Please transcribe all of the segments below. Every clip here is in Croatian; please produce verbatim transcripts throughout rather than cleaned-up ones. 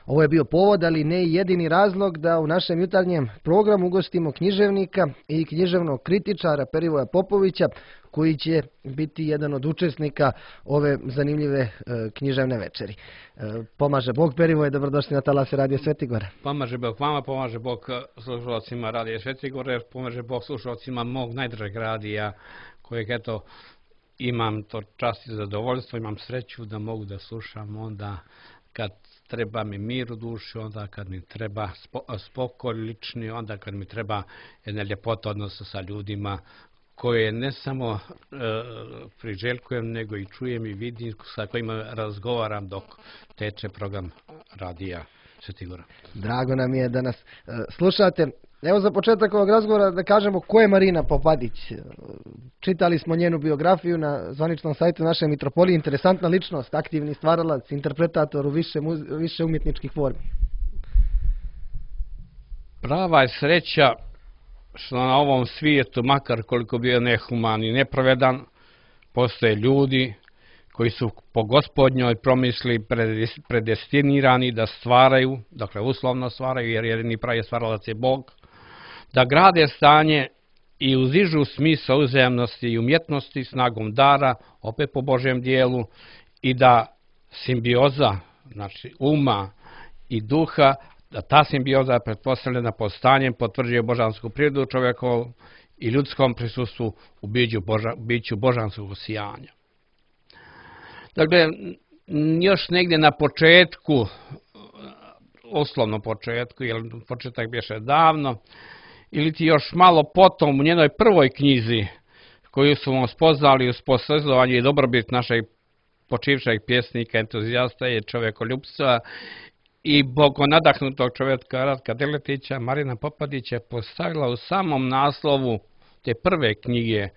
Ovo je bio povod, ali ne i jedini razlog da u našem jutarnjem programu ugostimo književnika i književnog kritičara Perivoja Popovića, koji će biti jedan od učesnika ove zanimljive e, književne večeri. E, pomaže Bog, Perivoje, dobrodošli na talase Radio Svetigora. Pomaže Bog vama, pomaže Bog slušalcima Radio Svetigora, pomaže Bog slušalcima mog najdržeg radija, kojeg eto imam to čast i zadovoljstvo, imam sreću da mogu da slušam onda kad treba mi mir u duši, onda kad mi treba spokoj lični, onda kad mi treba jedna ljepota odnosa sa ljudima koje ne samo e, priželjkujem, nego i čujem i vidim, sa kojima razgovaram dok teče program radija Svetigora. Drago nam je da nas e, slušate. Evo za početak ovog razgovora da kažemo ko je Marina Popadić. Čitali smo njenu biografiju na zvaničnom sajtu naše mitropolije. Interesantna ličnost, aktivni stvaralac, interpretator u više, više umjetničkih formi. Prava je sreća što na ovom svijetu, makar koliko bio nehuman i nepravedan, postoje ljudi koji su po Gospodnjoj promisli predestinirani da stvaraju, dakle uslovno stvaraju, jer jedini pravi stvaralac je Bog, da grade stanje i uzižu smisao uzajamnosti i umjetnosti snagom dara, opet po Božjem dijelu, i da simbioza, znači uma i duha, da ta simbioza je pretpostavljena postanjem, potvrđuje božansku prirodu čovjekovu i ljudskom prisustvu u biću, boža, biću božanskog sijanja. Dakle, još negdje na početku, uslovno početku, jer početak biše davno, ili ti još malo potom u njenoj prvoj knjizi, koju su vam spoznali uz posvezovanje i dobrobit našeg počivšeg pjesnika, entuzijasta i čovjekoljubstva i bogonadahnutog čovjeka Ratka Deletića, Marina Popadić je postavila u samom naslovu te prve knjige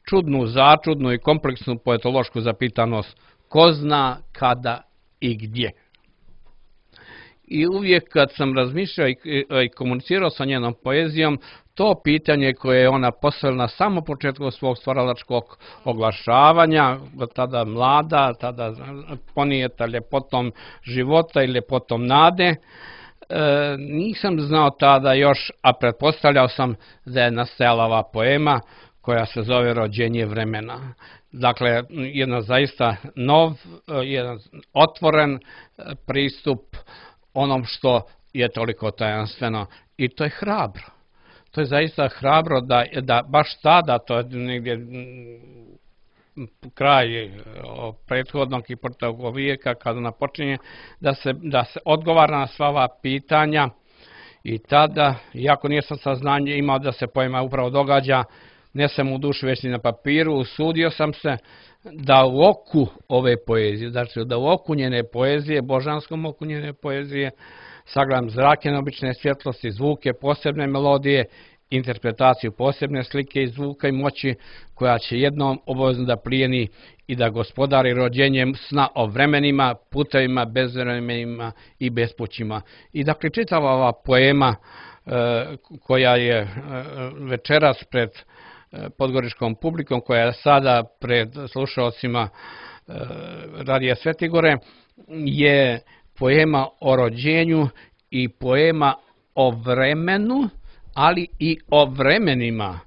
čudnu, začudnu i kompleksnu poetološku zapitanost: ko zna, kada i gdje. I uvijek kad sam razmišljao i, i komunicirao sa njenom poezijom, to pitanje koje je ona postavila na samom početku svog stvaralačkog oglašavanja, tada mlada, tada ponijeta ljepotom života i ljepotom nade, e, nisam znao tada još, a pretpostavljao sam da je nastajala ova poema koja se zove Rođenje vremena. Dakle, jedan zaista nov, jedan otvoren pristup onom što je toliko tajanstveno. I to je hrabro. To je zaista hrabro da, da baš tada, to je negdje kraj prethodnog i proteklog vijeka, kada ona počinje, da se, da se odgovara na sva ova pitanja. I tada, iako nisam saznanje imao da se poema upravo događa, ne sam u duši već ni na papiru, usudio sam se da u oku ove poezije, znači da u oku njene poezije, božanskom oku njene poezije, sagledam zrake neobične svjetlosti, zvuke, posebne melodije, interpretaciju posebne slike i zvuka i moći, koja će jednom obavezno da plijeni i da gospodari rođenjem sna o vremenima, putevima, bezvremenima i bespućima. I dakle, čitava ova poema e, koja je e, večeras pred podgoričkom publikom, koja je sada pred slušalcima e, Radija Svetigore, je poema o rođenju i poema o vremenu, ali i o vremenima.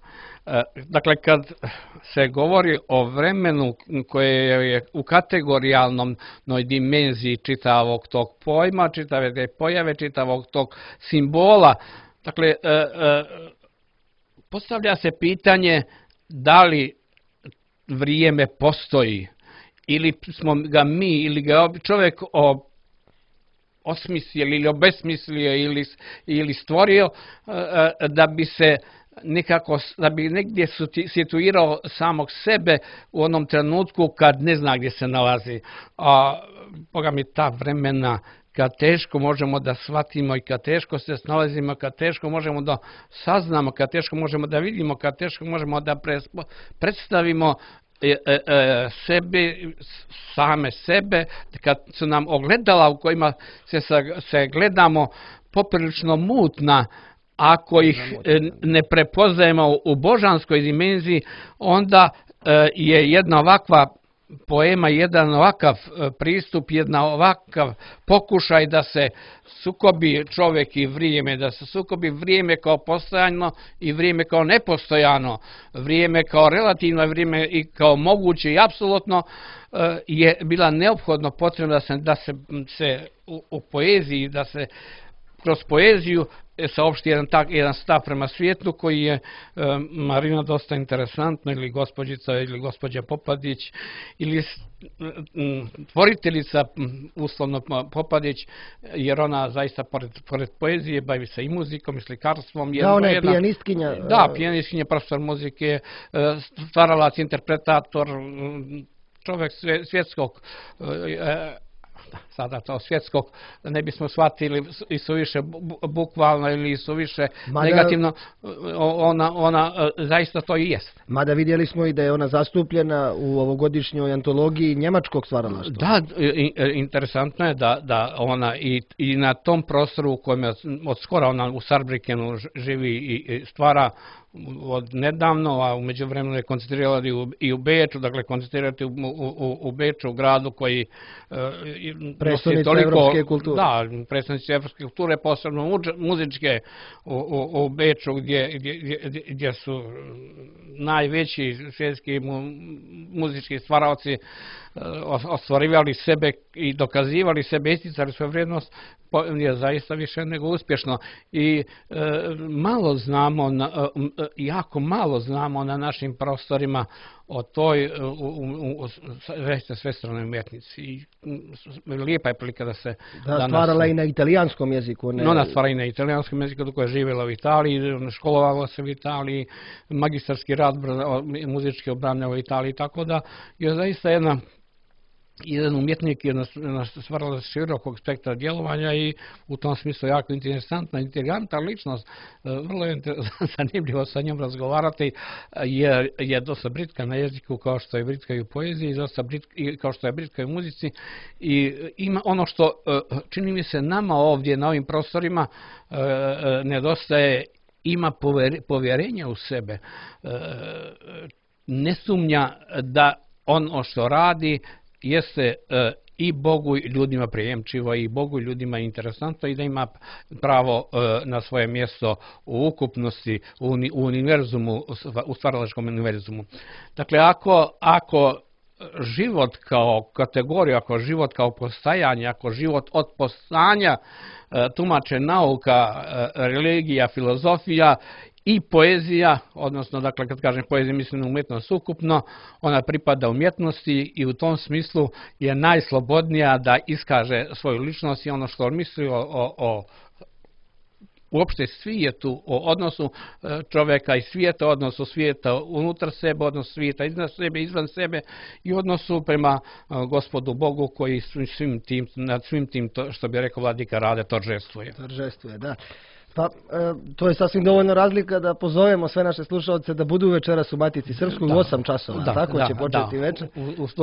E, dakle, kad se govori o vremenu koje je u kategorijalnoj dimenziji čitavog tog pojma, čitave te pojave, čitavog tog simbola, dakle, e, e, postavlja se pitanje da li vrijeme postoji, ili smo ga mi, ili ga čovjek o, osmislio ili obesmislio ili, ili stvorio da bi se nekako, da bi negdje situirao samog sebe u onom trenutku kad ne zna gdje se nalazi. A Boga mi, ta vremena kad teško možemo da shvatimo i kad teško se snalazimo, kad teško možemo da saznamo, kad teško možemo da vidimo, kad teško možemo da predstavimo e, e, e, sebe, same sebe, kad su nam ogledala u kojima se, se gledamo poprilično mutna, ako ih ne prepoznajemo u božanskoj dimenziji, onda e, je jedna ovakva poema jedan ovakav pristup, jedna ovakav pokušaj da se sukobi čovjek i vrijeme, da se sukobi vrijeme kao postojano i vrijeme kao nepostojano, vrijeme kao relativno, vrijeme i kao moguće i apsolutno, je bila neophodno potrebna da se, da se, se u, u poeziji, da se kroz poeziju saopšti jedan, tak, jedan stav prema svijetu koji je e, Marina dosta interesantna, ili gospođica ili gospođa Popadić, ili m, tvoriteljica uslovno Popadić, jer ona zaista pored, pored poezije bavi se i muzikom i slikarstvom. Da, ona je pijanistkinja. Da, pijanistkinja, profesor muzike, stvaralac, interpretator, čovjek svjetskog e, sada to svjetskog, ne bismo shvatili i suviše bukvalno ili suviše Mada, negativno, ona, ona zaista to i jest. Mada vidjeli smo i da je ona zastupljena u ovogodišnjoj antologiji njemačkog stvaralaštva. Da, interesantno je da, da ona i, i na tom prostoru u kojem je od skora ona u Saarbrückenu živi i stvara od nedavno, a u međuvremenu je koncentrirala i u, i u Beču, dakle koncentrirati u, u, u Beču, u gradu koji predstavnici evropske kulture. Da, predstavnici evropske kulture, posebno muzičke u, u, u Beču, gdje, gdje, gdje su najveći svjetski mu, muzički stvaraoci ostvarivali sebe i dokazivali sebe, isticali svoju vrijednost, je zaista više nego uspješno. I e, malo znamo, na, e, jako malo znamo na našim prostorima o toj svestranoj umjetnici. I lijepa je prilika da se... Da, danas, stvarala i na italijanskom jeziku. Ne... Ona stvara i na italijanskom jeziku, dok je živjela u Italiji, školovala se u Italiji, magistarski rad muzički obranjava u Italiji, tako da je zaista jedna jedan umjetnik je stvarala širokog spektra djelovanja i u tom smislu jako interesantna, inteligentna ličnost. Vrlo je zanimljivo sa njom razgovarati, jer je dosta britka na jeziku, kao što je britka i u poeziji, dosta britka, kao što je britka i u muzici. I ima ono što čini mi se nama ovdje na ovim prostorima nedostaje, ima povjerenja u sebe, ne sumnja da ono što radi jeste e, i Bogu i ljudima prijemčivo, i Bogu i ljudima interesantno, i da ima pravo e, na svoje mjesto u ukupnosti, u, u univerzumu, u stvaralačkom univerzumu. Dakle, ako, ako život kao kategoriju, ako život kao postajanje, ako život od postajanja e, tumače nauka, e, religija, filozofija i poezija, odnosno, dakle, kad kažem poezija, mislim na umjetnost ukupno, ona pripada umjetnosti i u tom smislu je najslobodnija da iskaže svoju ličnost i ono što on misli o, o, o uopšte svijetu, o odnosu čovjeka i svijeta, odnosu svijeta unutar sebe, odnosu svijeta iznad sebe, izvan sebe i odnosu prema Gospodu Bogu koji svim tim, nad svim tim, to, što bi rekao Vladika Rade, toržestvuje. Toržestvuje, da. Pa, e, to je sasvim dovoljno razlika da pozovemo sve naše slušalce da budu večeras u Matici Srpskoj u osam časova, da, tako da, će početi da. večer.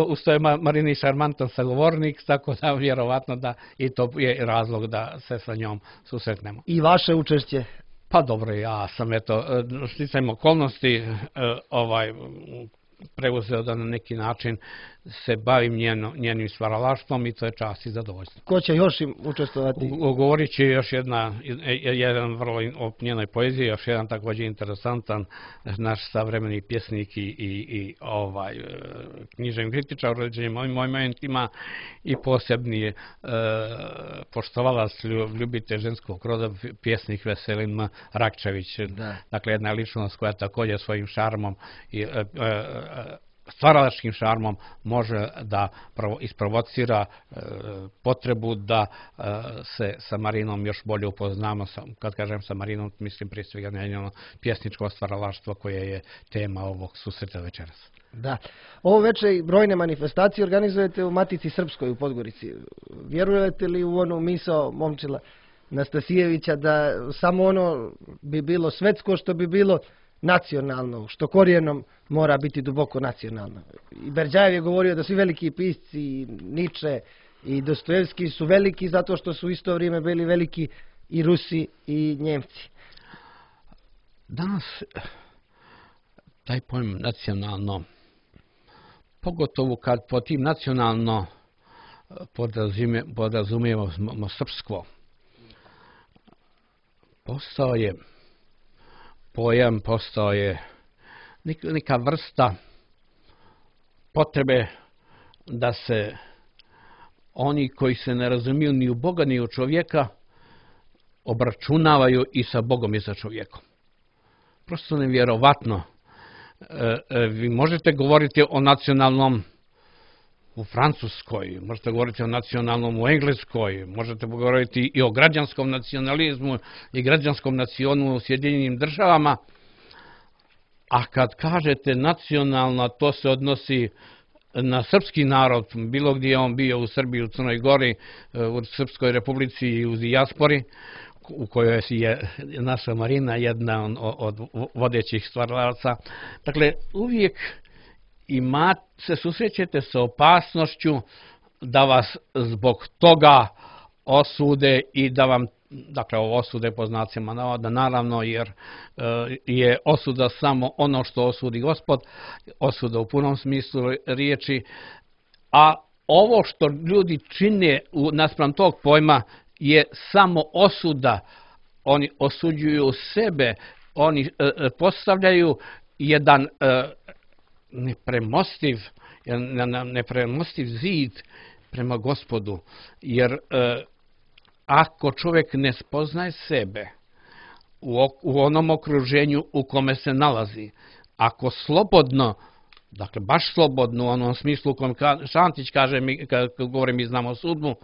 Uz to je Marini šarmantan sagovornik, tako da vjerovatno da i to je razlog da se sa njom susretnemo. I vaše učešće? Pa dobro, ja sam eto, sticajem okolnosti ovaj, preuzeo da na neki način se bavim njeno, njenim stvaralaštvom i to je čast i zadovoljstvo. Ko će još im učestvovati? Govorit će još jedna, jedan vrlo o njenoj poeziji, još jedan također interesantan naš savremeni pjesnik i, i, i ovaj, književni kritičar u određenim ovim momentima i posebni e, poštovalac, ljubitelj ženskog roda, pjesnik Veselin Rakčević. Da. Dakle, jedna ličnost koja također svojim šarmom i e, e, stvaralačkim šarmom može da isprovocira e, potrebu da e, se sa Marinom još bolje upoznamo. Kad kažem sa Marinom, mislim prije svega na njeno pjesničko stvaralaštvo koje je tema ovog susreta večeras. Da. Ovo večer i brojne manifestacije organizujete u Matici Srpskoj u Podgorici. Vjerujete li u onu misao Momčila Nastasijevića da samo ono bi bilo svetsko što bi bilo nacionalno, što korijenom mora biti duboko nacionalno. I Berdjajev je govorio da svi veliki pisci, Niče i Dostojevski su veliki zato što su u isto vrijeme bili veliki i Rusi i Njemci. Danas taj pojem nacionalno pogotovo kad po tim nacionalno podrazumijevamo srpsko. Postao je pojam, postao je neka vrsta potrebe da se oni koji se ne razumiju ni u Boga ni u čovjeka obračunavaju i sa Bogom i sa čovjekom. Prosto nevjerovatno. Vi možete govoriti o nacionalnom u Francuskoj, možete govoriti o nacionalnom u Engleskoj, možete govoriti i o građanskom nacionalizmu i građanskom nacionu u Sjedinjenim državama, a kad kažete nacionalna, to se odnosi na srpski narod, bilo gdje je on bio, u Srbiji, u Crnoj Gori, u Srpskoj republici i u dijaspori, u kojoj je naša Marina jedna od vodećih stvaralaca. Dakle, uvijek imate, se susrećete sa opasnošću da vas zbog toga osude i da vam, dakle ovo osude po znacima navoda, naravno, jer je osuda samo ono što osudi Gospod, osuda u punom smislu riječi, a ovo što ljudi čine naspram tog pojma je samo osuda. Oni osuđuju sebe, oni postavljaju jedan nepremostiv, nepremostiv zid prema Gospodu, jer ako čovjek ne spoznaje sebe u onom okruženju u kome se nalazi, ako slobodno, dakle baš slobodno u onom smislu u kojem Šantić kaže, kad govorim mi znamo sudbu,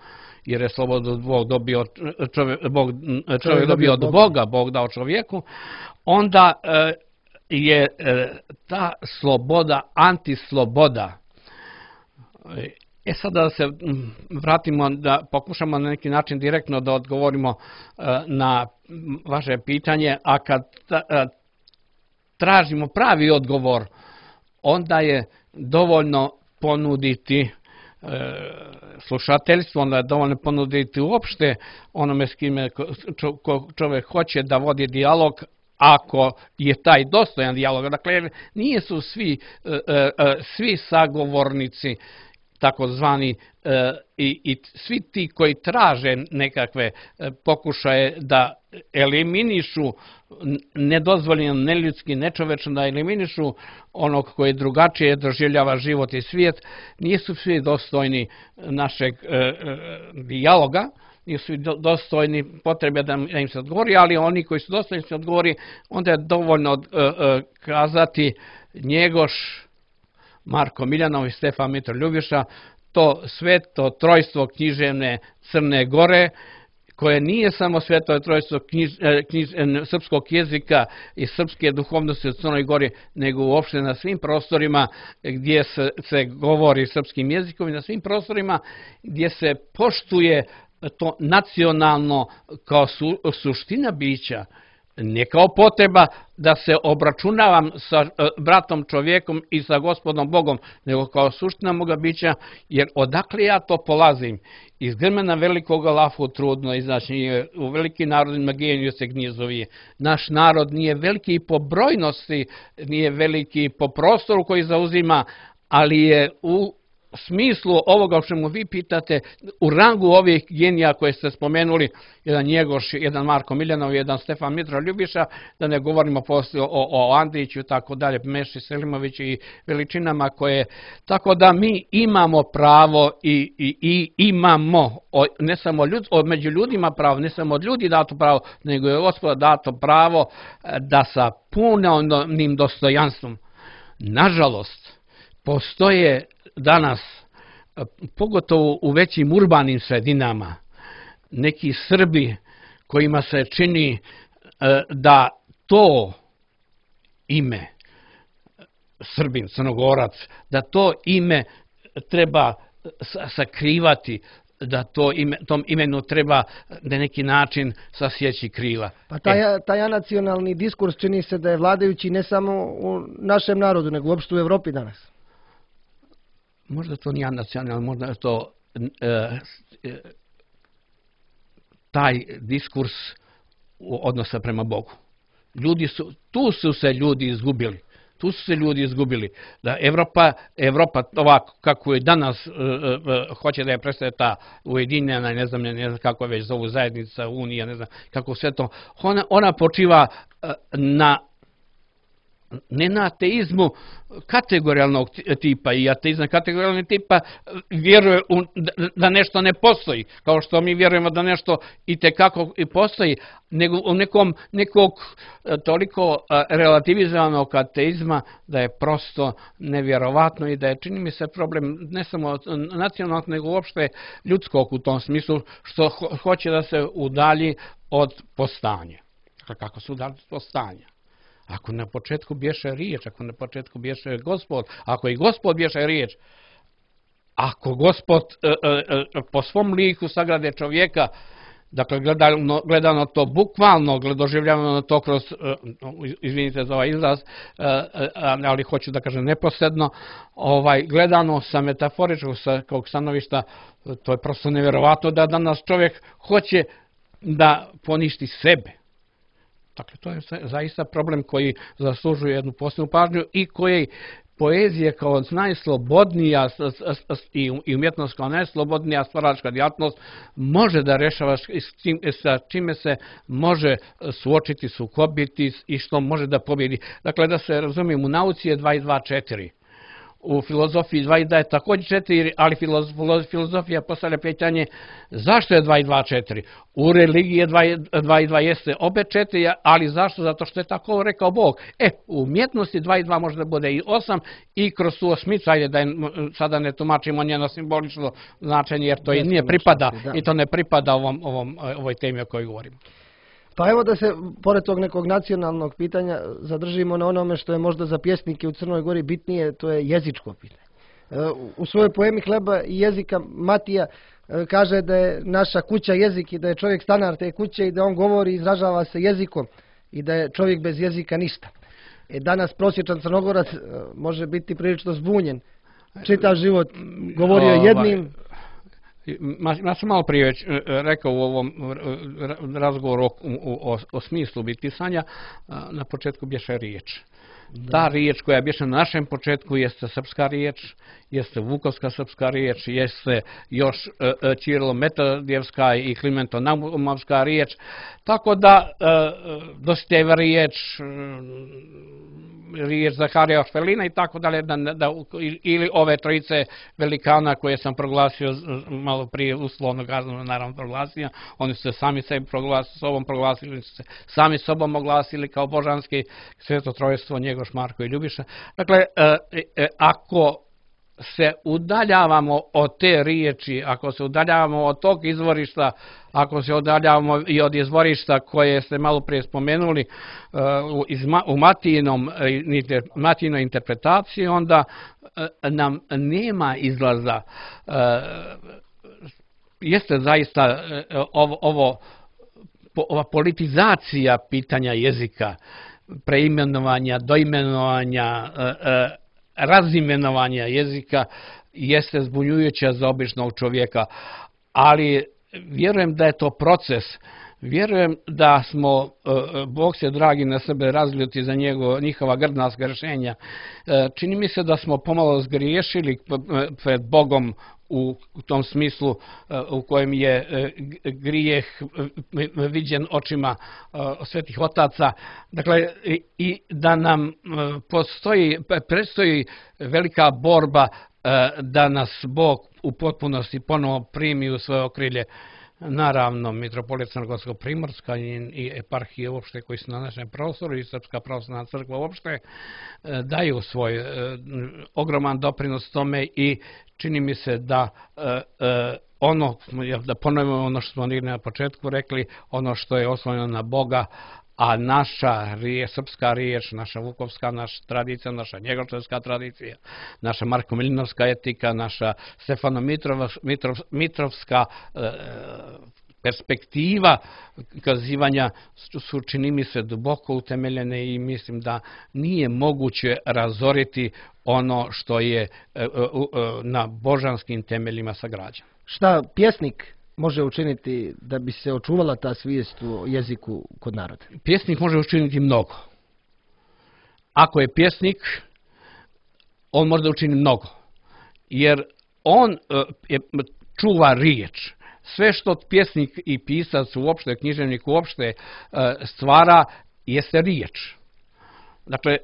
jer je slobodno Bog dobio, čovjek, Bog, čovjek dobio od Boga, Bog dao čovjeku, onda je ta sloboda antisloboda. E sada da se vratimo, da pokušamo na neki način direktno da odgovorimo na vaše pitanje, a kad tražimo pravi odgovor, onda je dovoljno ponuditi slušateljstvo, onda je dovoljno ponuditi uopšte onome s kime čovjek hoće da vodi dijalog, ako je taj dostojan dijalog. Dakle, nije su svi, svi sagovornici takozvani i, i svi ti koji traže nekakve pokušaje da eliminišu nedozvoljeno, neljudski, nečovečno, da eliminišu onog koji drugačije doživljava život i svijet, nisu svi dostojni našeg dijaloga, nisu dostojni potrebe da im se odgovori, ali oni koji su dostojni se odgovori, onda je dovoljno kazati Njegoš, Marko Miljanov i Stefan Mitar Ljubiša, to sveto trojstvo književne Crne Gore, koje nije samo sveto trojstvo knjiž, knjiž, srpskog jezika i srpske duhovnosti u Crnoj Gori, nego uopšte na svim prostorima gdje se, se govori srpskim jezikom i na svim prostorima gdje se poštuje to nacionalno kao su, suština bića, ne kao potreba da se obračunavam sa bratom čovjekom i sa Gospodom Bogom, nego kao suština moga bića, jer odakle ja to polazim? Iz grmena velikoga lafu trudno izaći, u velikim narodima geniju se gnjezovi. Naš narod nije veliki po brojnosti, nije veliki po prostoru koji zauzima, ali je u smislu ovoga o čemu vi pitate, u rangu ovih genija koje ste spomenuli, jedan Njegoš, jedan Marko Miljanov, jedan Stefan Mitra Ljubiša, da ne govorimo poslije o, o Andriću i tako dalje, Meši Selimoviću i veličinama koje, tako da mi imamo pravo i, i, i imamo, ne samo ljud, među ljudima pravo, ne samo od ljudi dato pravo, nego je Gospoda dato pravo da sa punim dostojanstvom, nažalost, postoje danas, pogotovo u većim urbanim sredinama, neki Srbi kojima se čini da to ime, Srbin, Crnogorac, da to ime treba sakrivati, da to ime, tom imenu treba na neki način sasjeći krila. Pa taj, e. taj nacionalni diskurs čini se da je vladajući ne samo u našem narodu, nego uopšte u Evropi danas. Možda to nije nacionalno, možda je to e, e, taj diskurs odnosa prema Bogu. Ljudi su, tu su se ljudi izgubili. Tu su se ljudi izgubili. Da Evropa, Evropa ovako kako je danas uh, uh, hoće da je predstavlja ta ujedinjena, ne znam, ne znam kako već zovu zajednica, unija, ne znam kako sve to, ona, ona počiva uh, na ne na ateizmu kategorijalnog tipa, i ateizam kategorijalnog tipa vjeruje u, da nešto ne postoji, kao što mi vjerujemo da nešto itekako i postoji, nego u nekom, nekog toliko relativizovanog ateizma da je prosto nevjerovatno i da je, čini mi se, problem ne samo nacionalnog, nego uopšte ljudskog u tom smislu, što ho, hoće da se udalji od postanja. Kako se udalji od postanja? Ako na početku bješe riječ, ako na početku bješe Gospod, ako i Gospod bješe riječ, ako Gospod e, e, po svom liku sagrade čovjeka, dakle gledano, gledano to bukvalno, doživljavano to kroz, e, izvinite za ovaj izraz, e, ali hoću da kažem neposredno, ovaj, gledano sa metaforičkog sa kog stanovišta, to je prosto nevjerovatno da danas čovjek hoće da poništi sebe. Dakle, to je zaista problem koji zaslužuje jednu posebnu pažnju i koji poezija kao najslobodnija i umjetnost kao najslobodnija stvaralačka djelatnost može da rešava sa čime se može suočiti, sukobiti i što može da pobjedi. Dakle, da se razumijem, u nauci je dva i dva četiri. U filozofiji dva i dva je također četiri, ali filozofija postavlja pitanje zašto je dva i dva četiri. U religiji je dva i dva jeste opet četiri, ali zašto? Zato što je tako rekao Bog. E, u umjetnosti dva i dva može da bude i osam i kroz tu osmicu, ajde da je, sada ne tumačimo njeno simbolično značenje, jer to i nije pripada, i to ne pripada ovom, ovom, ovoj temi o kojoj govorimo. Pa evo da se, pored tog nekog nacionalnog pitanja, zadržimo na onome što je možda za pjesnike u Crnoj Gori bitnije, to je jezičko pitanje. U svojoj poemi Hleba i jezika Matija kaže da je naša kuća jezik i da je čovjek stanar te kuće i da on govori i izražava se jezikom i da je čovjek bez jezika ništa. E danas prosječan Crnogorac može biti prilično zbunjen. Čitav život govorio jednim... Ja sam malo prije već rekao u ovom razgovoru o, o, o smislu bitisanja, na početku bješe riječ. Ta riječ koja bješe na našem početku jeste srpska riječ, jeste vukovska srpska riječ, jeste još Čirilo-metodijevska i Klimento-naumovska riječ, tako da Dositejeva riječ, riječ Zaharija Orfelina i tako dalje, da, da, ili ove trojice velikana koje sam proglasio malo prije, uslovno kazano naravno proglasio, oni su se sami sebi proglasili, sobom proglasili, oni su se sami sobom oglasili kao božanski sveto trojstvo, Njegoš, Marko i Ljubiša. Dakle, e, e, ako se udaljavamo od te riječi, ako se udaljavamo od tog izvorišta, ako se udaljavamo i od izvorišta koje ste malo prije spomenuli uh, u Matijinom, Matijinoj interpretaciji, onda uh, nam nema izlaza. Uh, jeste zaista uh, ovo, ovo, ova politizacija pitanja jezika, preimenovanja, doimenovanja, uh, uh, razimenovanja jezika jeste zbunjujuća za običnog čovjeka, ali vjerujem da je to proces. Vjerujem da smo, Bog se dragi na sebe razljuti za njego, njihova grdna zgrešenja. Čini mi se da smo pomalo zgriješili pred Bogom u tom smislu u kojem je grijeh viđen očima svetih otaca. Dakle, i da nam postoji, predstoji velika borba da nas Bog u potpunosti ponovo primi u svoje okrilje. Naravno, mitropolit Crnogorsko-primorska i eparhije uopšte koji su na našem prostoru i Srpska pravoslavna crkva uopšte daju svoj ogroman doprinos tome i čini mi se da ono, da ponovimo ono što smo na početku rekli, ono što je oslonjeno na Boga, a naša riječ, srpska riječ, naša vukovska, naša tradicija, naša njegoševska tradicija, naša Marko-Milinovska etika, naša Stefano-Mitrovska e, perspektiva kazivanja su, čini mi se, duboko utemeljene i mislim da nije moguće razoriti ono što je e, e, e, na božanskim temeljima sagrađeno. Šta pjesnik može učiniti da bi se očuvala ta svijest o jeziku kod naroda? Pjesnik može učiniti mnogo, ako je pjesnik, on može da učini mnogo. Jer on čuva riječ. Sve što pjesnik i pisac uopšte, književnik uopšte stvara, jeste riječ. Dakle,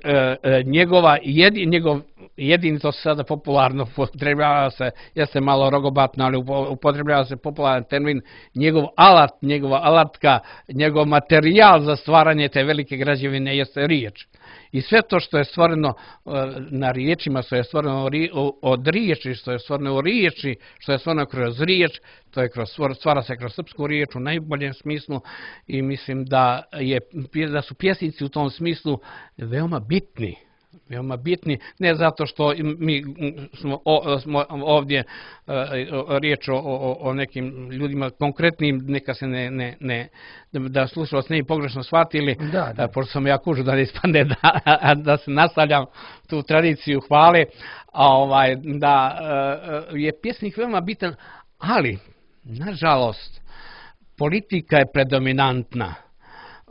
njegova jedin, njegov jedini, to se sada popularno upotrebljava se, jeste malo rogobatno, ali upotrebljava se popularan termin, njegov alat, njegova alatka, njegov materijal za stvaranje te velike građevine jeste riječ. I sve to što je stvoreno na riječima, što je stvoreno od riječi, što je stvoreno u riječi, što je stvoreno kroz riječ, to je kroz, stvara se kroz srpsku riječ u najboljem smislu i mislim da, je, da su pjesnici u tom smislu veoma bitni. Veoma bitni, ne zato što mi smo, o, smo ovdje uh, riječ o, o, o nekim ljudima konkretnim, neka se ne, ne, ne da slušalac ne bi pogrešno shvatili, da, da. Pošto sam ja kužu da ne ispadne da, da se nastavljam tu tradiciju hvale, a ovaj, da uh, je pjesnik veoma bitan, ali, nažalost, politika je predominantna.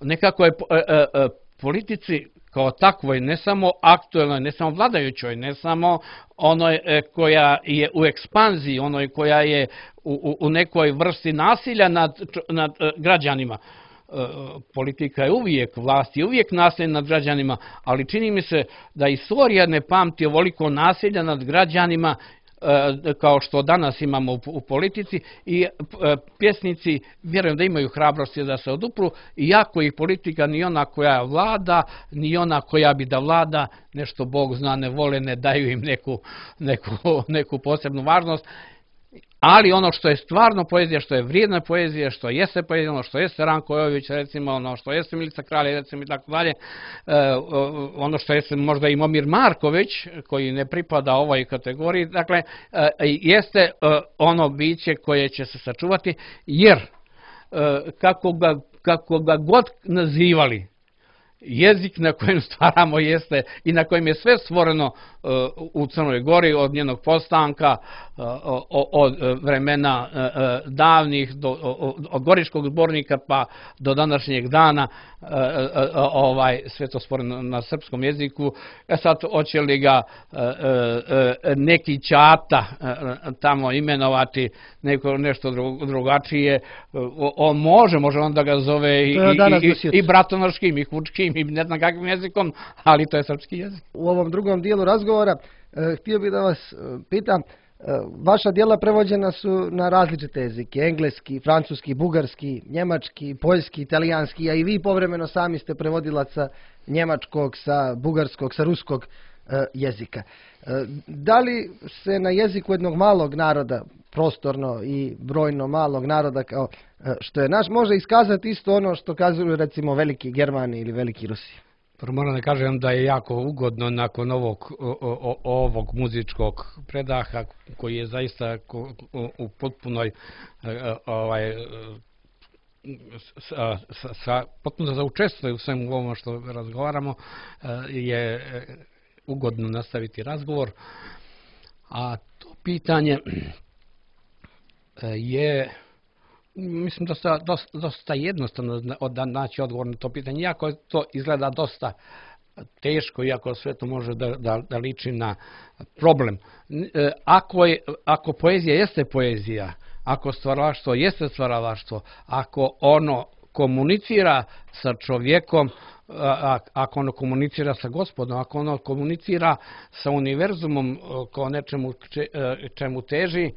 Nekako je uh, uh, politici kao takvoj, ne samo aktuelnoj, ne samo vladajućoj, ne samo onoj koja je u ekspanziji, onoj koja je u, u nekoj vrsti nasilja nad, nad građanima. Politika je uvijek, vlast je uvijek nasilja nad građanima, ali čini mi se da istorija ne pamti ovoliko nasilja nad građanima kao što danas imamo u politici i pjesnici vjerujem da imaju hrabrosti da se odupru, iako ih politika ni ona koja vlada, ni ona koja bi da vlada, nešto Bog zna ne vole, ne daju im neku, neku, neku posebnu važnost. Ali ono što je stvarno poezija, što je vrijedna poezija, što jeste poezija, ono što jeste Ranko Jović, recimo, ono što jeste Milica Kralj, recimo i tako dalje, ono što jeste možda i Momir Marković, koji ne pripada ovoj kategoriji, dakle, jeste ono biće koje će se sačuvati, jer kako ga, kako ga god nazivali, jezik na kojem stvaramo jeste i na kojem je sve stvoreno u Crnoj Gori od njenog postanka, od vremena davnih, do, od Goričkog zbornika pa do današnjeg dana, ovaj, sve to stvoreno na srpskom jeziku. E sad, hoće li ga neki ćata tamo imenovati, neko nešto drugačije, on može, može on da ga zove i, i, i, i bratonoškim, i hučkim, i ne znam kakvim jezikom, ali to je srpski jezik. U ovom drugom dijelu razgovora htio bih da vas pitam, vaša djela prevođena su na različite jezike, engleski, francuski, bugarski, njemački, poljski, italijanski, a i vi povremeno sami ste prevodilac sa njemačkog, sa bugarskog, sa ruskog jezika. Da li se na jeziku jednog malog naroda, prostorno i brojno malog naroda kao što je naš, može iskazati isto ono što kazuju recimo veliki Germani ili veliki Rusi? Moram da kažem da je jako ugodno nakon ovog, o, ovog muzičkog predaha koji je zaista u potpunoj ovaj, sa, sa, sa, potpuno za učestvuje u svemu ovom što razgovaramo, je ugodno nastaviti razgovor. A to pitanje je, mislim da je dosta, dosta jednostavno da naći odgovor na to pitanje, iako to izgleda dosta teško, iako sve to može da, da, da liči na problem. Ako, je, ako poezija jeste poezija, ako stvaralaštvo jeste stvaralaštvo, ako ono komunicira sa čovjekom, ako ono komunicira sa Gospodom, ako ono komunicira sa univerzumom kao nečemu čemu teži,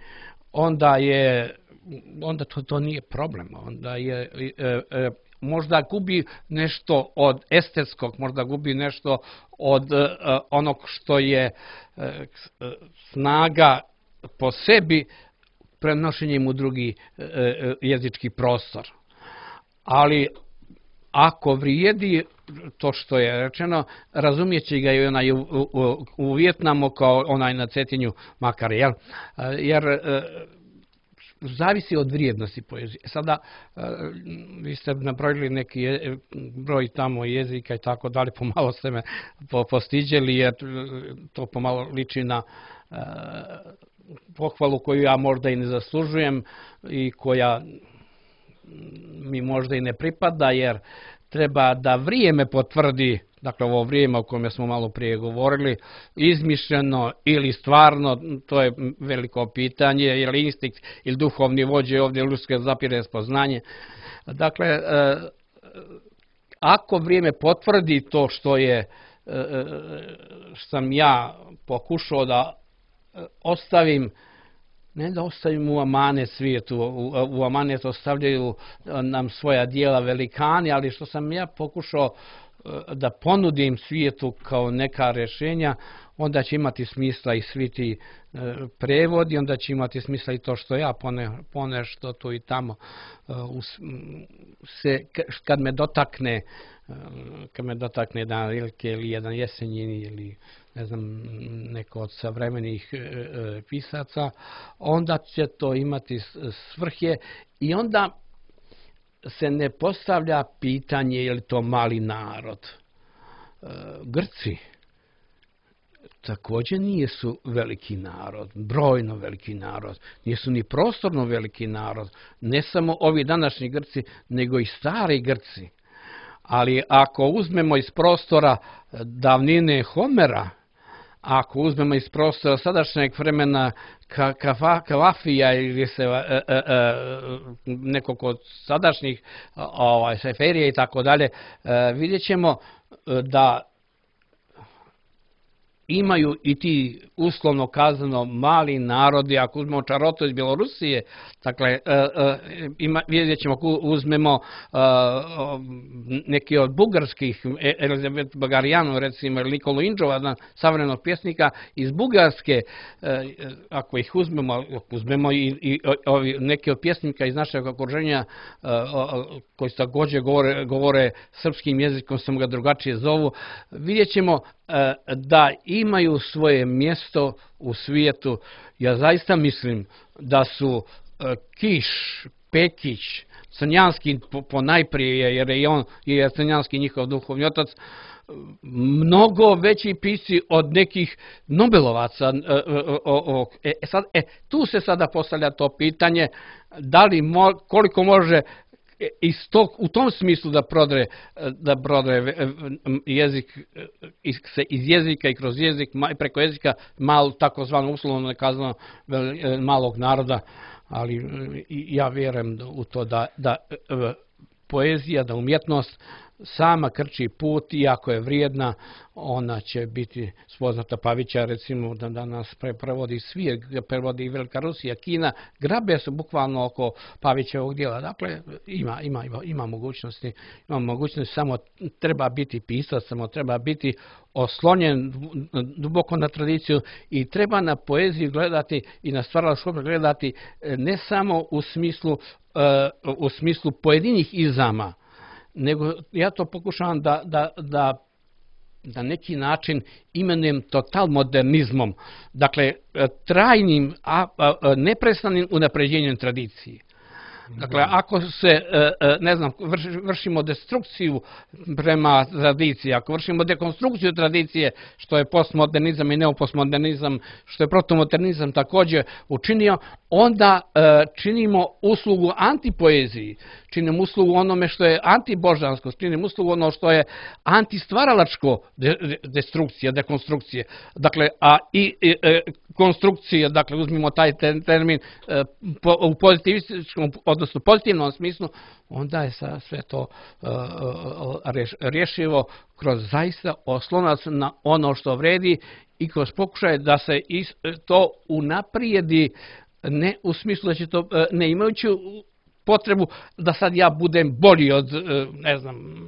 onda je onda to, to nije problem. Onda je e, e, možda gubi nešto od estetskog, možda gubi nešto od e, onog što je e, snaga po sebi prenošenjem u drugi e, jezički prostor. Ali ako vrijedi to što je rečeno, razumijeći ga i onaj u, u, u Vijetnamu kao onaj na Cetinju makar, jel? Jer e, zavisi od vrijednosti poezije. Sada, vi ste nabrojili neki je, broj tamo jezika i tako dalje, pomalo ste me postiđeli, jer to pomalo liči na uh, pohvalu koju ja možda i ne zaslužujem i koja mi možda i ne pripada, jer treba da vrijeme potvrdi dakle ovo vrijeme o kojem smo malo prije govorili, izmišljeno ili stvarno, to je veliko pitanje, je li instinkt ili duhovni vođe ovdje ljudske zapire spoznanje. Dakle, ako vrijeme potvrdi to što je, sam ja pokušao da ostavim, ne da ostavim u amanet svijetu, u, u amanet ostavljaju nam svoja dijela velikani, ali što sam ja pokušao da ponudim svijetu kao neka rješenja, onda će imati smisla i svi ti prevodi, onda će imati smisla i to što ja pone, ponešto tu i tamo se, kad me dotakne, kad me dotakne jedan Rilke ili jedan Jesenjin ili ne znam, neko od savremenih pisaca, onda će to imati svrhe i onda se ne postavlja pitanje je li to mali narod. Grci također nisu veliki narod, brojno veliki narod, nisu ni prostorno veliki narod, ne samo ovi današnji Grci, nego i stari Grci. Ali ako uzmemo iz prostora davnine Homera, ako uzmemo iz prostora sadašnjeg vremena Kavafija ili se e, e, e, nekog od sadašnjih ovaj, Seferija i tako dalje, vidjet ćemo da imaju i ti uslovno kazano mali narodi, ako uzmemo Čarotu iz Bjelorusije, dakle, ima, vidjet ćemo ako uzmemo neki od bugarskih, Elizabet Bagarijanu, recimo, ili Nikolu Indžova, savremenog pjesnika iz Bugarske, ako ih uzmemo, ako uzmemo i, i ovi, neki od pjesnika iz našeg okruženja koji također govore, govore srpskim jezikom, samo ga drugačije zovu, vidjet ćemo da imaju svoje mjesto u svijetu. Ja zaista mislim da su Kiš, Pekić, Crnjanski po najprije, jer je on je Crnjanski njihov duhovni otac, mnogo veći pisci od nekih Nobelovaca. E, sad, e, tu se sada postavlja to pitanje da li mo, koliko može iz tog, u tom smislu da prodre, da prodre jezik, se iz jezika i kroz jezik, preko jezika malo takozvano uslovno nekazano malog naroda, ali ja vjerujem u to da, da poezija, da umjetnost sama krči put i ako je vrijedna, ona će biti spoznata. Pavića, recimo, da danas prevodi svijet, prevodi i Velika Rusija, Kina, grabe se bukvalno oko Pavićevog dijela. Dakle, ima, ima, ima, ima mogućnosti, ima mogućnosti, samo treba biti pisac, samo treba biti oslonjen duboko na tradiciju i treba na poeziju gledati i na stvaralaštvo gledati ne samo u smislu, u smislu pojedinih izama, nego ja to pokušavam da, da, da na neki način imenujem total modernizmom, dakle trajnim, a, a, neprestanim unapređenjem tradicije. Dakle, ako se, ne znam, vršimo destrukciju prema tradiciji, ako vršimo dekonstrukciju tradicije, što je postmodernizam i neopostmodernizam, što je protomodernizam također učinio, onda činimo uslugu antipoeziji, činimo uslugu onome što je antibožansko, činimo uslugu ono što je antistvaralačko destrukcija, dekonstrukcije. Dakle, a i, i konstrukcija, dakle, uzmimo taj termin po, u pozitivističkom, odnosno pozitivnom smislu, onda je sve to rješivo kroz zaista oslonac na ono što vredi i kroz pokušaj da se to unaprijedi, ne u smislu da će to, ne imajući potrebu da sad ja budem bolji od, ne znam,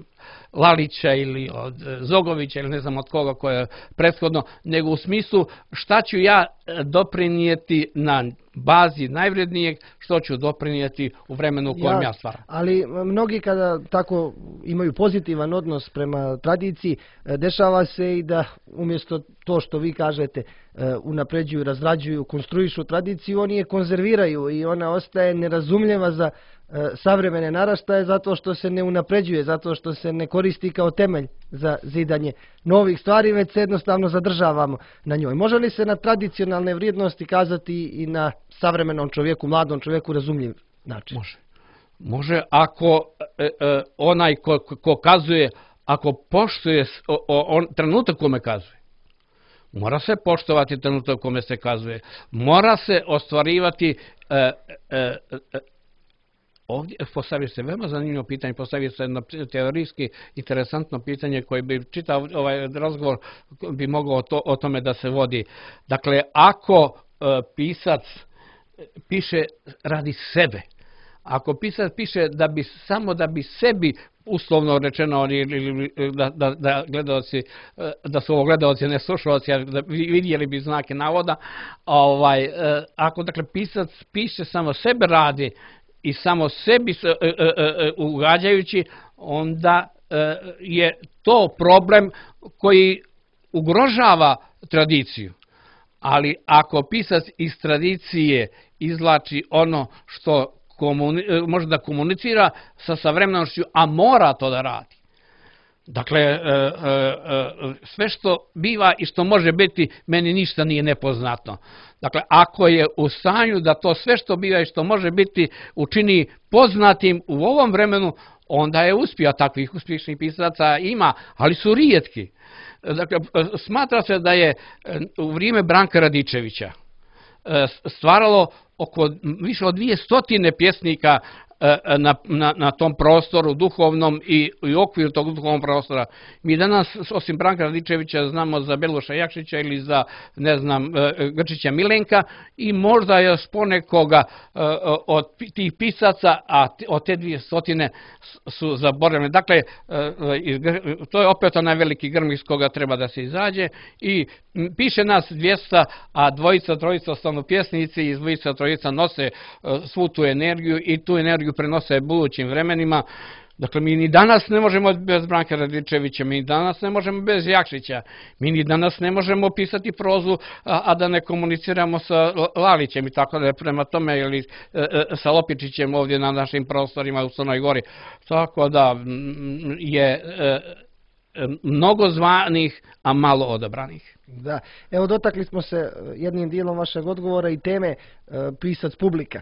Lalića ili od Zogovića ili ne znam od koga koje je prethodno, nego u smislu šta ću ja doprinijeti na bazi najvrednijeg, što ću doprinijeti u vremenu u kojem ja, ja stvaram. Ali mnogi kada tako imaju pozitivan odnos prema tradiciji, dešava se i da umjesto to što vi kažete unapređuju, razrađuju, konstruišu tradiciju, oni je konzerviraju i ona ostaje nerazumljiva za savremene naraštaje zato što se ne unapređuje, zato što se ne koristi kao temelj za zidanje novih stvari, već se jednostavno zadržavamo na njoj. Može li se na tradicionalne vrijednosti kazati i na savremenom čovjeku, mladom čovjeku razumljiv način? Može. Može ako e, e, onaj ko, ko kazuje ako poštuje o, o, on, trenutak kome kazuje. Mora se poštovati trenutak kome se kazuje. Mora se ostvarivati e, e, e, ovdje postavio se veoma zanimljivo pitanje, postavio se jedno teorijski interesantno pitanje koje bi čitav ovaj razgovor bi mogao to, o tome da se vodi. Dakle, ako e, pisac piše radi sebe, ako pisac piše da bi samo da bi sebi uslovno rečeno ili da, da, da gledaoci, da su ovo gledaoci ne slušaoci, da vidjeli bi znake navoda, ovaj, ako dakle pisac piše samo sebe radi i samo sebi ugađajući, onda je to problem koji ugrožava tradiciju. Ali ako pisac iz tradicije izvlači ono što komuni, može da komunicira sa savremenošću, a mora to da radi. Dakle, sve što biva i što može biti, meni ništa nije nepoznato. Dakle, ako je u stanju da to sve što biva i što može biti učini poznatim u ovom vremenu, onda je uspio. Takvih uspješnih pisaca ima, ali su rijetki. Dakle, smatra se da je u vrijeme Branka Radičevića stvaralo oko više od dvije stotine pjesnika na, na, na tom prostoru duhovnom i, i okviru tog duhovnog prostora. Mi danas, osim Branka Radičevića, znamo za Beluša Jakšića ili za, ne znam, Grčića Milenka i možda još ponekoga od tih pisaca, a od te dvije stotine su zaboravljene. Dakle, to je opet onaj veliki grm iz koga treba da se izađe i piše nas dvjesto, a dvojica, trojica ostanu pjesnici i dvojica, trojica nose svu tu energiju i tu energiju prenose budućim vremenima. Dakle, mi ni danas ne možemo bez Branka Radičevića, mi ni danas ne možemo bez Jakšića, mi ni danas ne možemo pisati prozu, a, a da ne komuniciramo sa Lalićem i tako da je prema tome, ili e, e, sa Lopičićem ovdje na našim prostorima u Crnoj Gori. Tako da je e, mnogo zvanih, a malo odabranih. Da, evo dotakli smo se jednim dijelom vašeg odgovora i teme e, pisac publika.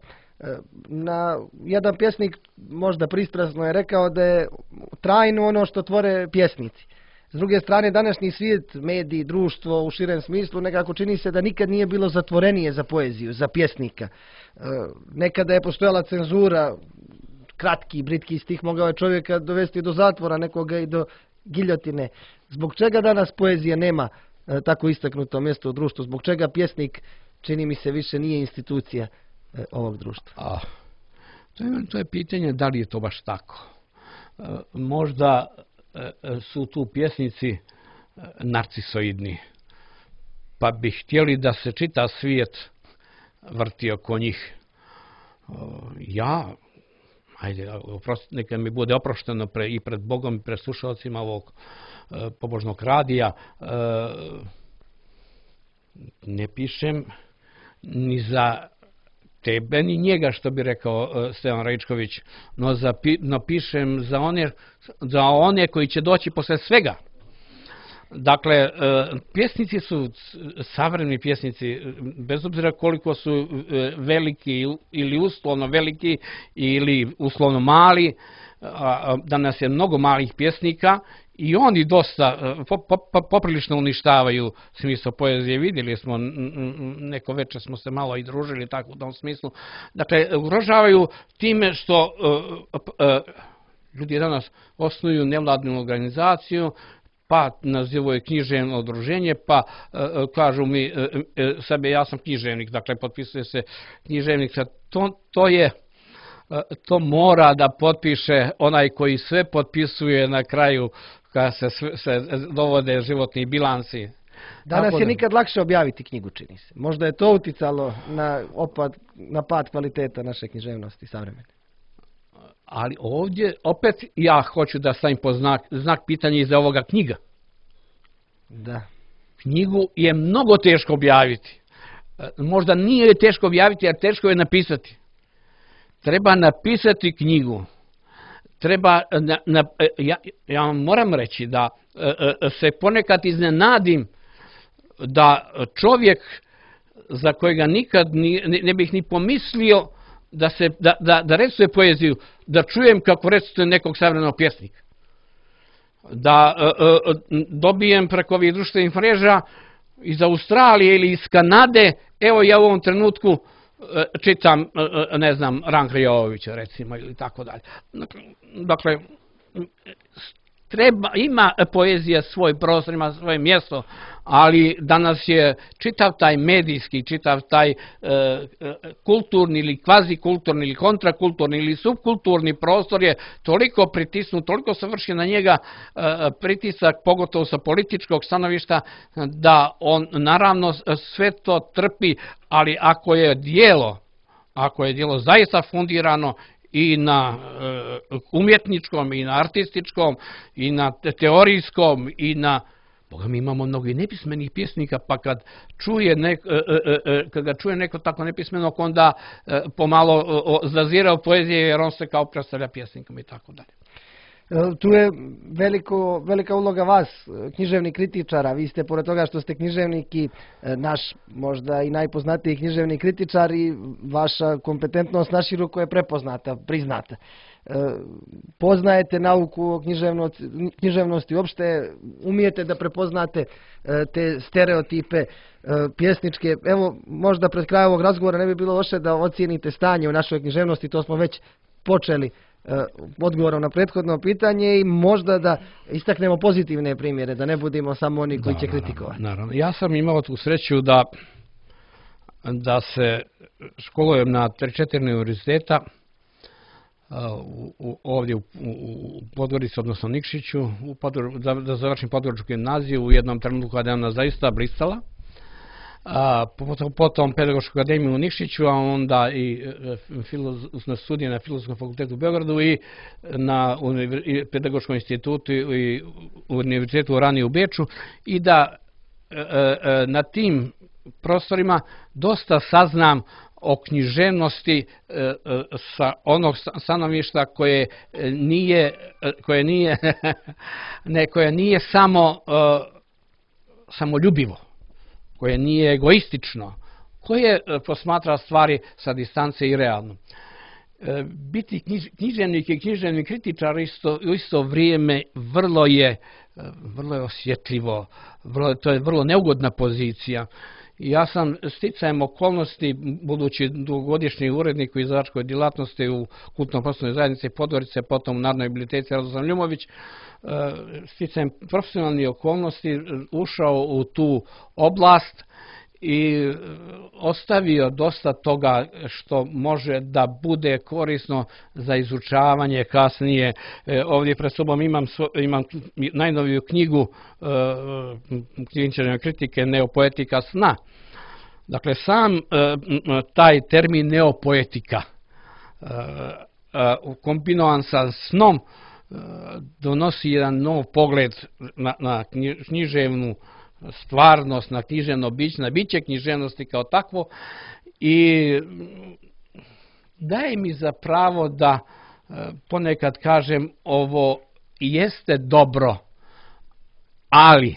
Na, jedan pjesnik možda pristrasno je rekao da je trajno ono što tvore pjesnici. S druge strane, današnji svijet, mediji, društvo u širem smislu nekako čini se da nikad nije bilo zatvorenije za poeziju, za pjesnika. Nekada je postojala cenzura, kratki, britki stih mogao je čovjeka dovesti do zatvora, nekoga i do giljotine. Zbog čega danas poezija nema tako istaknuto mjesto u društvu? Zbog čega pjesnik, čini mi se, više nije institucija ovog društva? A, to, je, to je pitanje da li je to baš tako. E, možda e, su tu pjesnici narcisoidni, pa bi htjeli da se čita svijet vrti oko njih. E, ja, ajde, oprosti, neka mi bude oprošteno pre, i pred Bogom i pred slušalcima ovog e, pobožnog radija, e, ne pišem ni za tebe ni njega, što bi rekao uh, Stevan Raičković, no, za, no pišem za one, za one koji će doći posle svega. Dakle, uh, pjesnici su, savremeni pjesnici, bez obzira koliko su uh, veliki ili uslovno veliki ili uslovno mali, uh, danas je mnogo malih pjesnika, i oni dosta, poprilično uništavaju smisao poezije. Vidjeli smo, neko večer smo se malo i družili tako u tom smislu. Dakle, ugrožavaju time što ljudi danas osnuju nevladnu organizaciju, pa nazivaju književno udruženje, pa kažu mi sebe, ja sam književnik, dakle potpisuje se književnik. To, to je to mora da potpiše onaj koji sve potpisuje na kraju kada se, se dovode životni bilansi. Danas je nikad lakše objaviti knjigu, čini se. Možda je to uticalo na opad, na pad kvaliteta naše književnosti savremene. Ali ovdje opet ja hoću da stavim po znak, znak pitanja iza ovoga knjiga. Da. Knjigu je mnogo teško objaviti. Možda nije teško objaviti, jer teško je napisati. Treba napisati knjigu. Treba, na, na, ja, ja vam moram reći da se ponekad iznenadim da čovjek za kojega nikad ni, ne bih ni pomislio da, se, da, da, da recituje poeziju, da čujem kako recituje nekog savremenog pjesnika. da dobijem preko ovih društvenih mreža iz Australije ili iz Kanade, evo ja u ovom trenutku čitam, ne znam, Ranka Jovovića, recimo, ili tako dalje. Dakle, treba, ima poezija svoj prostor, ima svoje mjesto, ali danas je čitav taj medijski, čitav taj e, kulturni ili kvazikulturni ili kontrakulturni ili subkulturni prostor je toliko pritisnut, toliko se vrši na njega e, pritisak, pogotovo sa političkog stanovišta, da on naravno sve to trpi, ali ako je djelo, ako je djelo zaista fundirano i na umjetničkom, i na artističkom, i na teorijskom, i na... Boga mi imamo mnogo i nepismenih pjesnika, pa kad, čuje nek, kad ga čuje neko tako nepismenog, onda pomalo zazira u poezije jer on se kao predstavlja pjesnikom i tako dalje. Tu je veliko, velika uloga vas, književnih kritičara. Vi ste, pored toga što ste književnik i naš, možda i najpoznatiji književni kritičar, i vaša kompetentnost naširoko je prepoznata, priznata. Poznajete nauku o književnosti, književnosti uopšte, umijete da prepoznate te stereotipe pjesničke. Evo, možda pred krajem ovog razgovora ne bi bilo loše da ocijenite stanje u našoj književnosti, to smo već počeli odgovorom na prethodno pitanje, i možda da istaknemo pozitivne primjere, da ne budemo samo oni koji da, će kritikovati. Naravno. Ja sam imao tu sreću da, da se školujem na tri četiri univerziteta, U, u, ovdje u, u Podgorici, odnosno Nikšiću, u Podgor, da, da završim Podgoričku gimnaziju u jednom trenutku kada je ona zaista blistala. A, potom, potom Pedagošku akademiju u Nikšiću, a onda i na studije na Filozofskom fakultetu u Beogradu i na univer, i Pedagoškom institutu i univerzitetu u Rani u Beču, i da e, e, na tim prostorima dosta saznam o književnosti e, sa onog stanovišta koje nije, koje nije, ne, koje nije samo e, samoljubivo, koje nije egoistično, koje posmatra stvari sa distance i realno. E, biti knjiž, književnik i književni kritičar isto, u isto vrijeme vrlo je, vrlo je osjetljivo, vrlo, to je vrlo neugodna pozicija. Ja sam sticajem okolnosti, budući dugogodišnji urednik u izdavačkoj djelatnosti u kulturno-prostornoj zajednici Podgorice, potom u Narodnoj biblioteci Radoslav Ljumović, sticajem profesionalnih okolnosti ušao u tu oblast i ostavio dosta toga što može da bude korisno za izučavanje kasnije. Ovdje pred sobom imam, imam najnoviju knjigu književne kritike Neopoetika sna. Dakle, sam taj termin neopoetika kombinovan sa snom donosi jedan nov pogled na, na književnu stvarnost, na književno biće, na biće književnosti kao takvo, i daje mi za pravo da ponekad kažem ovo jeste dobro, ali,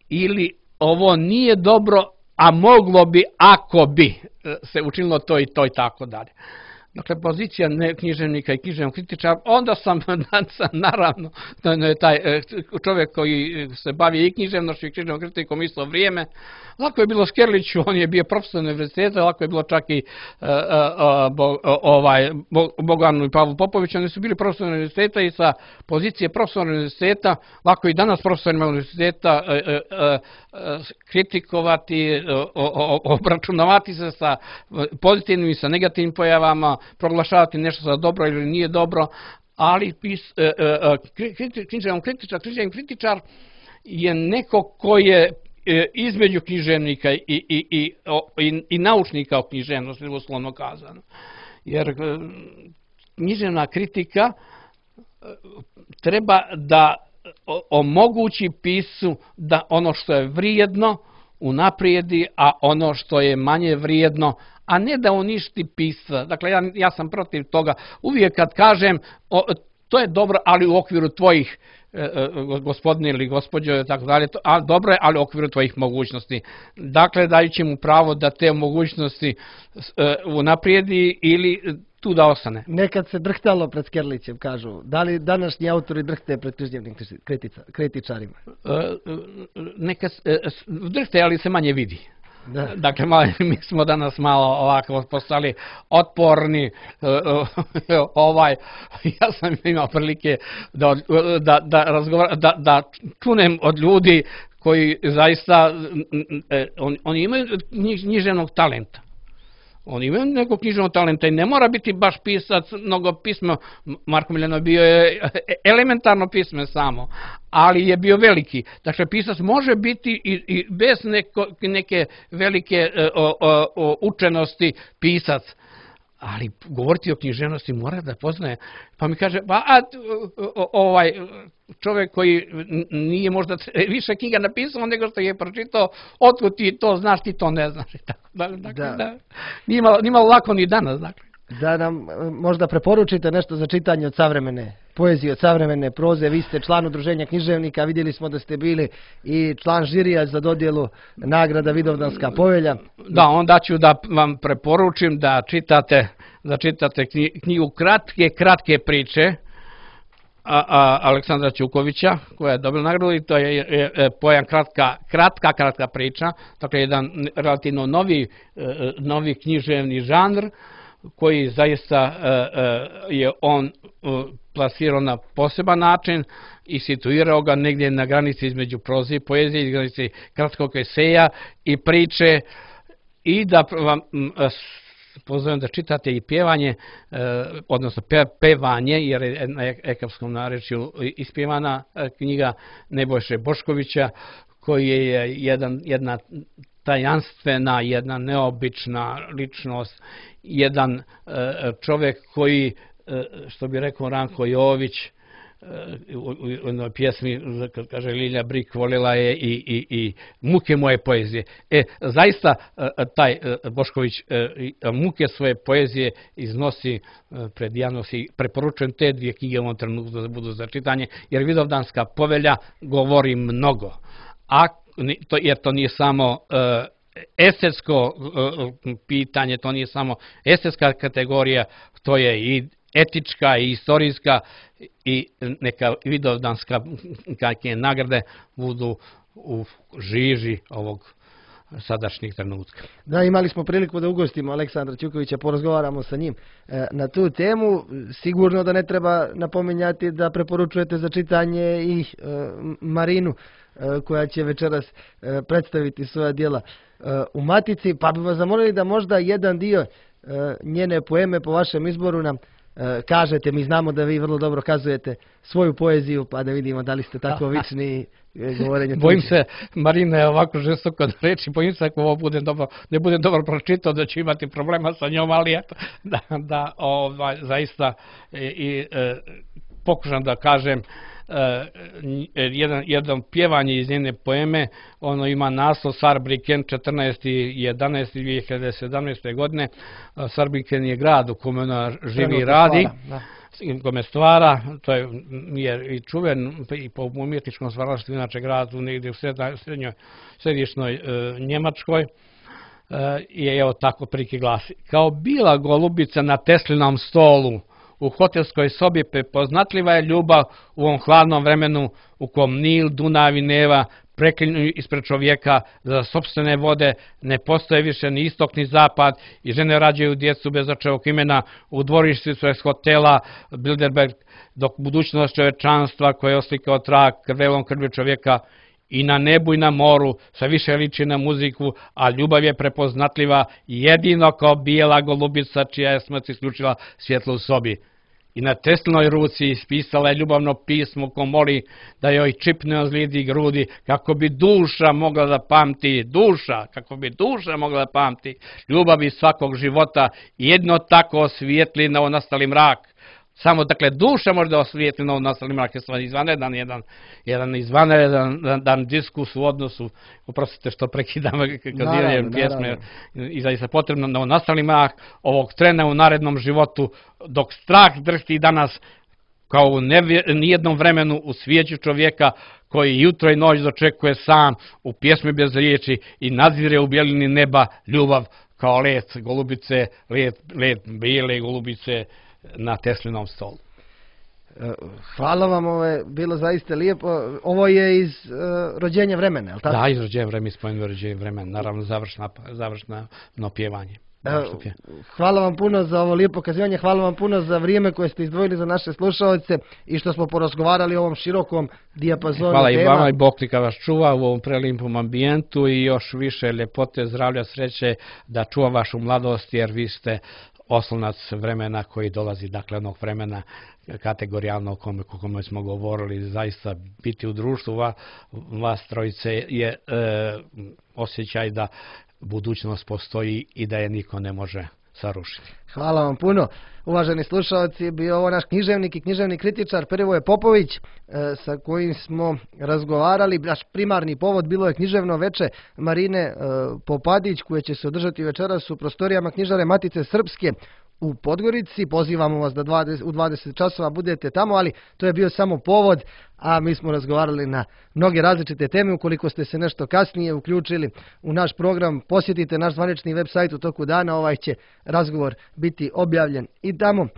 ili ovo nije dobro, a moglo bi ako bi se učinilo to i to i tako dalje. Dakle, pozicija književnika i književnog kritičara, onda sam naravno taj čovjek koji se bavi i književnošću i književnom kritikom isto vrijeme. Lako je bilo Skerliću, on je bio profesor univerziteta, lako je bilo čak i ovaj, Bogdanu i Pavlu Popoviću, oni su bili profesor univerziteta i sa pozicije profesora univerziteta, lako i danas profesorima univerziteta kritikovati, obračunavati se sa pozitivnim i sa negativnim pojavama, proglašavati nešto za dobro ili nije dobro, ali pis, e, e, književni kritičar, književni kritičar je neko ko je e, između književnika i, i, i, i, i naučnika o književnosti, uslovno kazano. Jer e, književna kritika treba da omogući piscu da ono što je vrijedno unaprijedi, a ono što je manje vrijedno, a ne da uništi pisca. Dakle, ja, ja sam protiv toga. Uvijek kad kažem, o, to je dobro, ali u okviru tvojih, e, gospodine ili gospođo, tako dalje, a dobro je, ali u okviru tvojih mogućnosti. Dakle, dajući mu pravo da te mogućnosti e, unaprijedi ili tu da ostane. Nekad se drhtalo pred Skerlićem, kažu. Da li današnji autori drhte pred književnim kritičarima? Neka drhte, ali se manje vidi. Da. Dakle, mi smo danas malo ovako postali otporni, ovaj, ja sam imao prilike da, da, da, razgovara, da, da čunem od ljudi koji zaista, on, oni imaju književnog talenta. Oni imaju nekog književnog talenta i ne mora biti baš pisac, mnogo pismo. Marko Miljanov bio je elementarno pismen samo, ali je bio veliki. Dakle, pisac može biti i, i bez neko, neke velike o, o, o, učenosti pisac. Ali govoriti o književnosti mora da poznaje. Pa mi kaže, pa a, ovaj čovjek koji nije možda više knjiga napisao nego što je pročitao, otkud ti to znaš, ti to ne znaš. Dakle, da. Da. Nije malo, nije malo lako ni danas. Dakle. Da nam možda preporučite nešto za čitanje od savremene poezije, od savremene proze. Vi ste član udruženja književnika, vidjeli smo da ste bili i član žirija za dodjelu nagrada Vidovdanska povelja. Da, onda ću da vam preporučim da čitate, da čitate knjigu Kratke, kratke priče a, a, Aleksandra Ćukovića, koja je dobila nagradu, i to je, je, je pojam kratka, kratka, kratka priča, dakle jedan relativno novi, novi književni žanr, koji zaista je on plasirao na poseban način i situirao ga negdje na granici između proze i poezije, granici kratkog eseja i priče, i da vam pozovem da čitate i pjevanje, odnosno pevanje, jer je na ekavskom narečju ispjevana knjiga Nebojše Boškovića, koji je jedan, jedna tajanstvena, jedna neobična ličnost, jedan čovjek koji, što bi rekao Ranko Jović, u jednoj pjesmi, kad kaže Lilja Brik, volila je i, i, i muke moje poezije. E, zaista taj Bošković muke svoje poezije iznosi pred javnost i preporučujem te dvije knjige u ovom trenutku da budu za čitanje, jer Vidovdanska povelja govori mnogo. A to, jer to nije samo uh, estetsko uh, pitanje, to nije samo estetska kategorija, to je i etička i istorijska, i neka Vidovdanska kakve nagrade budu u žiži ovog sadašnjeg trenutka. Da, imali smo priliku da ugostimo Aleksandra Ćukovića, porazgovaramo sa njim e, na tu temu. Sigurno da ne treba napominjati da preporučujete za čitanje i e, Marinu, e, koja će večeras e, predstaviti svoja djela e, u Matici, pa bi vas zamolili da možda jedan dio e, njene poeme po vašem izboru nam e, kažete. Mi znamo da vi vrlo dobro kazujete svoju poeziju, pa da vidimo da li ste tako vični govorenje. Bojim se, Marina je ovako žestoko da reči, bojim se ako ovo bude dobro, ne bude dobro pročitao, da će imati problema sa njom, ali eto, da, da ovaj, zaista i, i e, pokušam da kažem, e, jedan, jedan pjevanje iz njene poeme, ono ima naslov Sarbriken četrnaesti jedanaesti dvije hiljade sedamnaeste. godine. Sarbriken je grad u kome ona živi i radi. Da. Kome stvara, to je, je i čuven i po umjetničkom stvaralaštvu, inače grad u negdje u srednjoj, središnjoj e, Njemačkoj, e, je evo tako prilike glasi. Kao bila golubica na Teslinom stolu, u hotelskoj sobi prepoznatljiva je ljubav u ovom hladnom vremenu u kom Nil, Dunav i Neva preklinju ispred čovjeka za sopstvene vode, ne postoje više ni istok ni zapad i žene rađaju djecu bez očevog imena u dvorištu iz hotela Bilderberg, dok budućnost čovječanstva koje je oslikao trag krvelom krvi čovjeka i na nebu i na moru sve više liči na muziku, a ljubav je prepoznatljiva jedino kao bijela golubica čija je smrt isključila svjetlo u sobi. I na Teslinoj ruci ispisala je ljubavno pismo ko moli da joj čipne ozlijedi grudi, kako bi duša mogla da pamti, duša, kako bi duša mogla da pamti ljubavi svakog života, jedno tako osvijetli novonastali mrak. Samo, dakle, duša može da osvijetli novonastali mrak. Je stvarno izvanredan jedan, jedan izvanredan dan, dan diskus u odnosu, oprostite što prekidam kaziranjem pjesme, i zaista potrebno novonastali mrak ovog trena u narednom životu, dok strah drhti danas kao u nijednom vremenu u svijeću čovjeka koji jutro i noć dočekuje sam u pjesmi bez riječi i nadzire u bjelini neba ljubav kao let golubice, let, let bijele golubice na Teslinom stolu. Hvala vam, ovo je bilo zaista lijepo. Ovo je iz uh, rođenja vremena, je li tako? Da, iz rođenja vremena, spomenuo rođenja vremena, naravno završna, završna no pjevanje. Hvala vam puno za ovo lijepo kazivanje, hvala vam puno za vrijeme koje ste izdvojili za naše slušalce i što smo porazgovarali o ovom širokom dijapazonu hvala tema. Hvala i vama i Bog neka vas čuva u ovom prelijepom ambijentu i još više ljepote, zdravlja, sreće da čuva vašu mladost jer vi ste oslonac vremena koji dolazi, dakle onog vremena kategorijalno o kome, o kome smo govorili, zaista biti u društvu vas, vas trojice je e, osjećaj da budućnost postoji i da je niko ne može sarušiti. Hvala vam puno. Uvaženi slušalci, bio ovo naš književnik i književni kritičar Perivoje Popović e, sa kojim smo razgovarali. Naš primarni povod bilo je književno veče Marine e, Popadić koje će se održati večeras u prostorijama knjižare Matice Srpske u Podgorici. Pozivamo vas da dvadeset, u dvadeset časova budete tamo, ali to je bio samo povod, a mi smo razgovarali na mnoge različite teme. Ukoliko ste se nešto kasnije uključili u naš program, posjetite naš zvanični web sajt u toku dana, ovaj će razgovor biti objavljen i tamo.